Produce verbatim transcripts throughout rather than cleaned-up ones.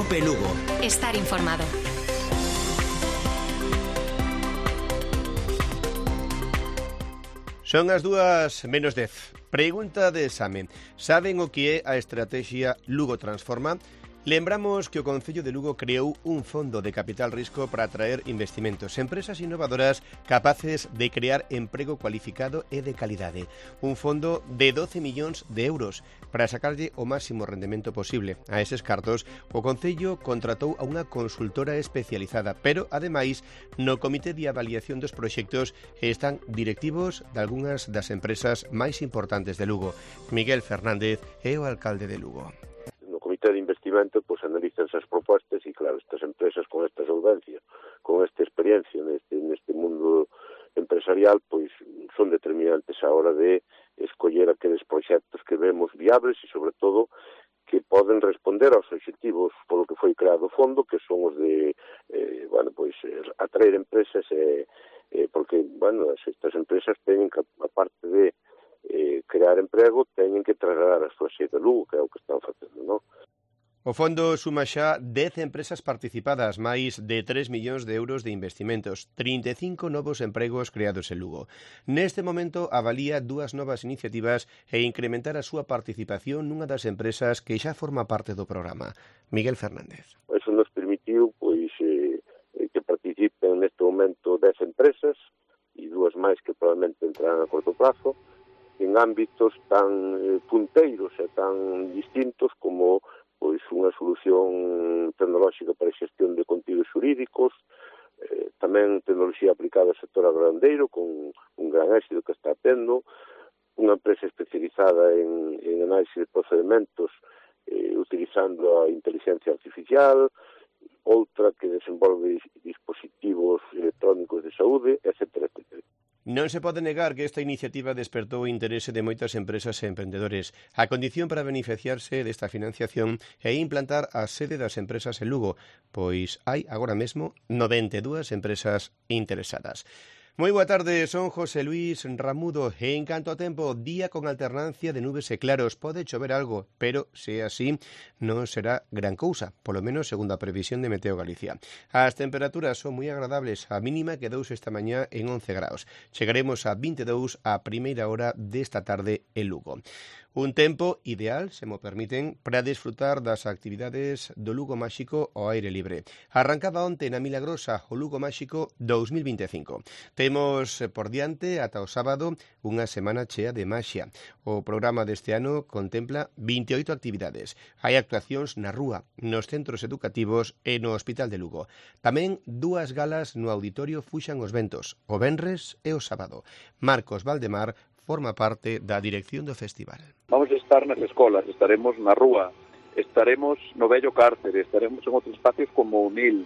Cope Lugo. Estar informado. Son as dúas menos dez. Pregunta de exame. Saben o que é a estrategia Lugo Transforma? Lembramos que o Concello de Lugo creou un fondo de capital risco para atraer investimentos, empresas innovadoras capaces de crear emprego cualificado e de calidade. Un fondo de doce millóns de euros para sacarlle o máximo rendemento posible. A eses cartos, o Concello contratou a unha consultora especializada, pero, ademais, no Comité de Avaliación dos Proxectos están directivos de algunhas das empresas máis importantes de Lugo. Miguel Fernández é o alcalde de Lugo. De investimento, pues analizan esas propuestas y claro, estas empresas con esta solvencia, con esta experiencia neste, neste mundo empresarial, pues son determinantes a hora de escoller aqueles proxectos que vemos viables e sobre todo que poden responder aos obxectivos polo que foi creado o fondo, que son os de eh, bueno, pues, atraer empresas eh, eh, porque, bueno, estas empresas teñen que, aparte de eh, crear emprego, teñen que trasladar a súa sede a Lugo, que é o que están facendo, non? O fondo suma xa dez empresas participadas, máis de tres millóns de euros de investimentos, trinta e cinco novos empregos creados en Lugo. Neste momento avalía dúas novas iniciativas e incrementar a súa participación nunha das empresas que xa forma parte do programa. Miguel Fernández. Eso nos permitiu pois, eh, que participen neste momento dez empresas e dúas máis que probablemente entrarán a corto plazo en ámbitos tan eh, punteiros e tan distintos como pois unha solución tecnolóxica para a xestión de contidos xurídicos, eh, tamén tecnoloxía aplicada ao sector agrogandeiro con un gran éxito que está tendo, unha empresa especializada en, en análisis de procedementos eh, utilizando a inteligencia artificial, outra que desenvolve dispositivos electrónicos de saúde, etcétera, etcétera. Non se pode negar que esta iniciativa despertou o interese de moitas empresas e emprendedores. A condición para beneficiarse desta financiación é implantar a sede das empresas en Lugo, pois hai agora mesmo noventa e dúas empresas interesadas. Moi boa tarde, son José Luis Ramudo e en canto a tempo, día con alternancia de nubes e claros. Pode chover algo, pero se é así, non será gran cousa, polo menos segundo a previsión de Meteo Galicia. As temperaturas son moi agradables, a mínima quedouse esta mañá en once graus. Chegaremos a vinte e dous a primeira hora desta tarde en Lugo. Un tempo ideal, se mo permiten, para desfrutar das actividades do Lugo Máxico ao aire libre. Arrancaba onte na Milagrosa o Lugo Máxico dous mil vinte e cinco. Temos por diante ata o sábado unha semana chea de maxia. O programa deste ano contempla vinte e oito actividades. Hai actuacións na rúa, nos centros educativos e no Hospital de Lugo. Tamén dúas galas no Auditorio Fuxan os Ventos, o venres e o sábado. Marcos Valdemar forma parte da dirección do festival. Vamos a estar nas escolas, estaremos na rúa, estaremos no vello cárcere, estaremos en outros espacios como o Nil,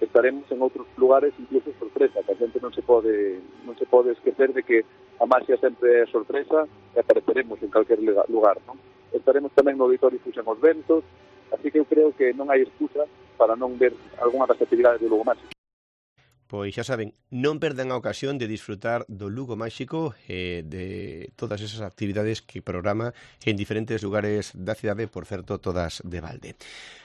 estaremos en outros lugares incluso sorpresa, que a gente non se pode non se pode esquecer de que a maxia sempre é sorpresa e apareceremos en calquer lugar, non? Estaremos tamén no Auditorio Fuxan os Ventos, así que eu creo que non hai excusa para non ver algunha das actividades do Lugo Máxico. Pois xa saben, non perdan a ocasión de disfrutar do Lugo Máxico e de todas esas actividades que programa en diferentes lugares da cidade, por certo, todas de balde.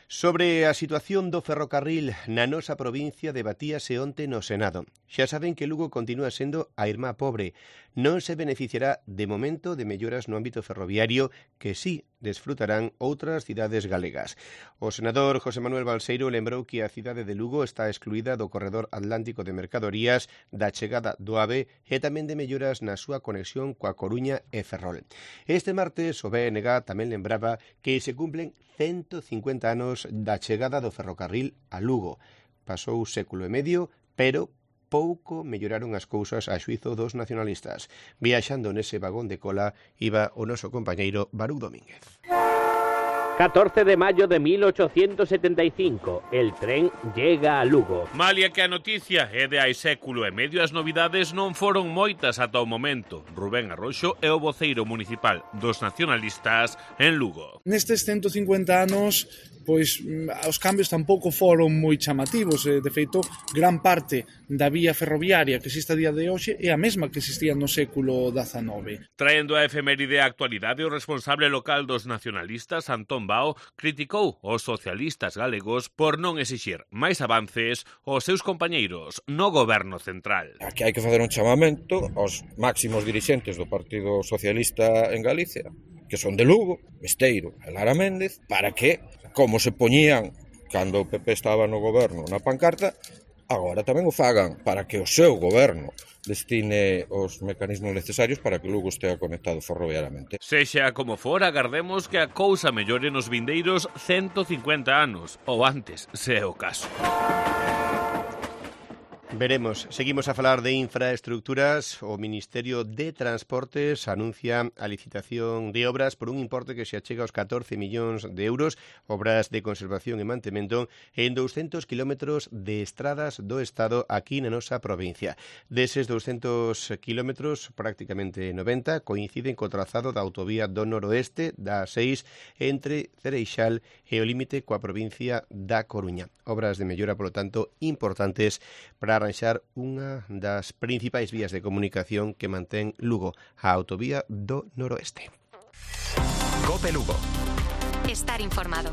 Sobre a situación do ferrocarril na nosa provincia debatíase onte no Senado. Xa saben que Lugo continúa sendo a irmá pobre. Non se beneficiará de momento de melloras no ámbito ferroviario que sí desfrutarán outras cidades galegas. O senador José Manuel Balseiro lembrou que a cidade de Lugo está excluída do corredor atlántico de mercadorías, da chegada do AVE e tamén de melloras na súa conexión coa Coruña e Ferrol. Este martes o B N G tamén lembraba que se cumplen ciento cincuenta anos da chegada do ferrocarril a Lugo. Pasou século e medio, pero pouco melloraron as cousas a xuizo dos nacionalistas. Viaxando nese vagón de cola iba o noso compañeiro Baruch Domínguez. catorce de mayo de mil ochocientos setenta y cinco, el tren llega a Lugo. Malia que a noticia é de hai século e medio, as novidades non foron moitas ata o momento. Rubén Arroxo é o voceiro municipal dos nacionalistas en Lugo. Nestes ciento cincuenta anos pois os cambios tampouco foron moi chamativos. De feito, gran parte da vía ferroviaria que existe a día de hoxe é a mesma que existía no século dezanove. Traendo a efeméride á actualidade, o responsable local dos nacionalistas, Antón Bao, criticou os socialistas galegos por non exixir máis avances aos seus compañeiros no goberno central. Aquí hai que facer un chamamento aos máximos dirixentes do Partido Socialista en Galicia, que son de Lugo, Besteiro e Lara Méndez, para que, como se poñían cando o P P estaba no goberno na pancarta, agora tamén o fagan para que o seu goberno destine os mecanismos necesarios para que Lugo estea conectado ferroviariamente. Sexa como for, agardemos que a cousa mellore nos vindeiros ciento cincuenta anos, ou antes, se é o caso. Veremos. Seguimos a falar de infraestructuras. O Ministerio de Transportes anuncia a licitación de obras por un importe que se achega aos catorce millóns de euros, obras de conservación e mantemento en douscentos kilómetros de estradas do Estado aquí na nosa provincia. Deses douscentos kilómetros, prácticamente noventa, coinciden co trazado da autovía do noroeste da A seis entre Cereixal e o límite coa provincia da Coruña. Obras de mellora, polo tanto, importantes para arranxar unha das principais vías de comunicación que mantén Lugo, a autovía do noroeste. Cope Lugo. Estar informado.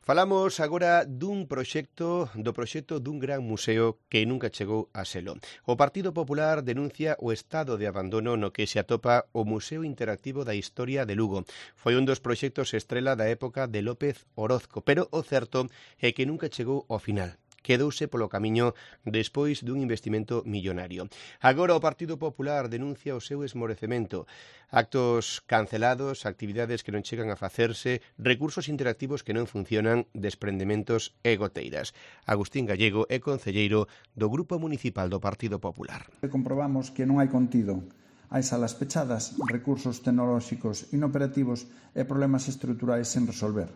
Falamos agora dun proxecto, do proxecto dun gran museo que nunca chegou a selo. O Partido Popular denuncia o estado de abandono no que se atopa o Museo Interactivo da Historia de Lugo. Foi un dos proxectos estrela da época de López Orozco, pero o certo é que nunca chegou ao final. Quedouse polo camiño despois dun investimento millonario. Agora o Partido Popular denuncia o seu esmorecemento. Actos cancelados, actividades que non chegan a facerse, recursos interactivos que non funcionan, desprendementos e goteiras. Agustín Gallego é concelleiro do Grupo Municipal do Partido Popular. Comprobamos que non hai contido. Hai salas pechadas, recursos tecnolóxicos inoperativos e problemas estruturais sen resolver.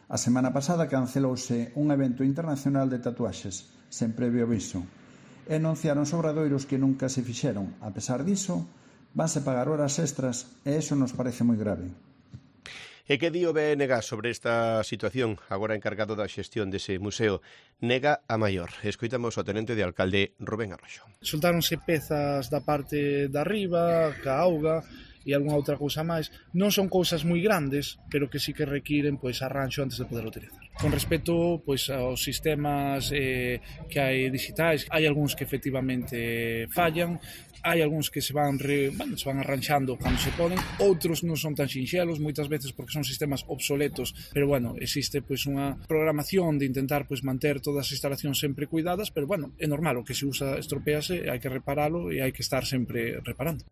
A semana pasada cancelouse un evento internacional de tatuaxes, sen previo aviso, e anunciaron obradoiros que nunca se fixeron. A pesar diso, vanse pagar horas extras e iso nos parece moi grave. E que di o B N G sobre esta situación, agora encargado da xestión dese museo? Nega a maior. Escoitamos o tenente de alcalde Rubén Arroxo. Soltáronse pezas da parte da arriba, ca auga, e algunha outra cousa máis. Non son cousas moi grandes, pero que sí que requiren pois arranxo antes de poder utilizar. Con respecto pois aos sistemas eh, que hai digitais, hai algúns que efectivamente fallan, hai algúns que se van re, bueno, se van arranxando cando se poden, outros non son tan sinxelos, moitas veces porque son sistemas obsoletos, pero bueno, existe pois unha programación de intentar pois manter todas as instalacións sempre cuidadas, pero bueno, é normal, o que se usa estropease, hai que reparalo e hai que estar sempre reparando.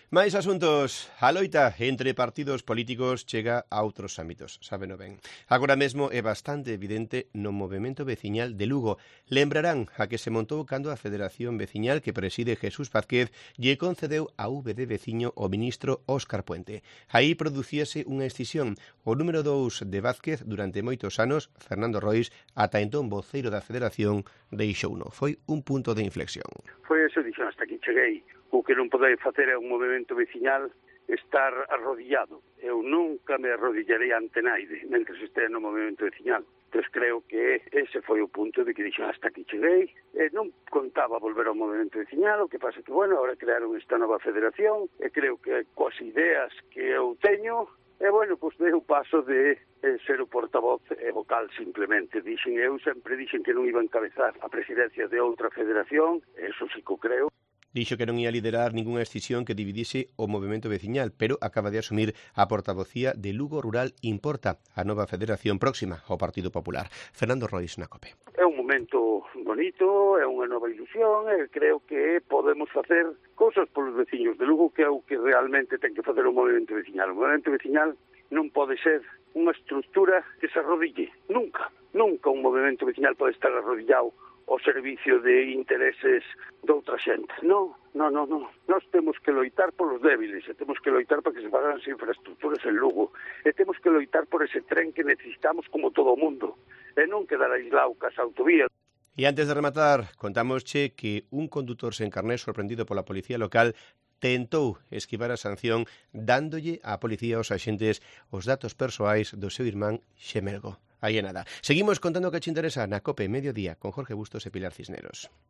Máis asuntos. A loita entre partidos políticos chega a outros ámbitos, sábeno ben. Agora mesmo é bastante evidente no movemento veciñal de Lugo. Lembrarán a que se montou cando a Federación Veciñal que preside Jesús Vázquez lle concedeu a V de veciño o ministro Óscar Puente. Aí producíase unha escisión. O número dous de Vázquez durante moitos anos, Fernando Rois, ata entón voceiro da Federación, deixouno. Foi un punto de inflexión. Foi eso, dixo, hasta aquí cheguei. O que non podei facer é un movimento veciñal estar arrodillado. Eu nunca me arrodillarei ante naide, mentre estea no movimento veciñal. Entón creo que ese foi o punto de que dixo hasta aquí cheguei. E non contaba volver ao movimento veciñal, o que pasa que, bueno, ahora crearon esta nova federación, e creo que coas ideas que eu teño, e, bueno, pois dei o paso de eh, ser o portavoz e vocal simplemente. Dixen, eu sempre dixen que non iba a encabezar a presidencia de outra federación, eso sí que o creo. Dixo que non ia liderar ningunha escisión que dividise o movimento veciñal, pero acaba de asumir a portavocía de Lugo Rural Importa, a nova federación próxima ao Partido Popular. Fernando Rois, na COPE. É un momento bonito, é unha nova ilusión, e creo que podemos facer cousas polos veciños de Lugo, que é o que realmente ten que facer o movimento veciñal. O movimento veciñal non pode ser unha estructura que se arrodille. Nunca, nunca un movimento veciñal pode estar arrodillado ao servicio de intereses de outra xente. Non, non, non, non. Nós temos que loitar polos débiles, e temos que loitar para que se fagan as infraestructuras en Lugo, e temos que loitar por ese tren que necesitamos como todo o mundo, e non quedar aislado cas autovías. E antes de rematar, contámosche que un condutor sen carné sorprendido pola policía local tentou esquivar a sanción dándolle á policía aos axentes os datos persoais do seu irmán xemelgo. Aí é nada. Seguimos contando o que te interesa na COPE Mediodía con Jorge Bustos e Pilar Cisneros.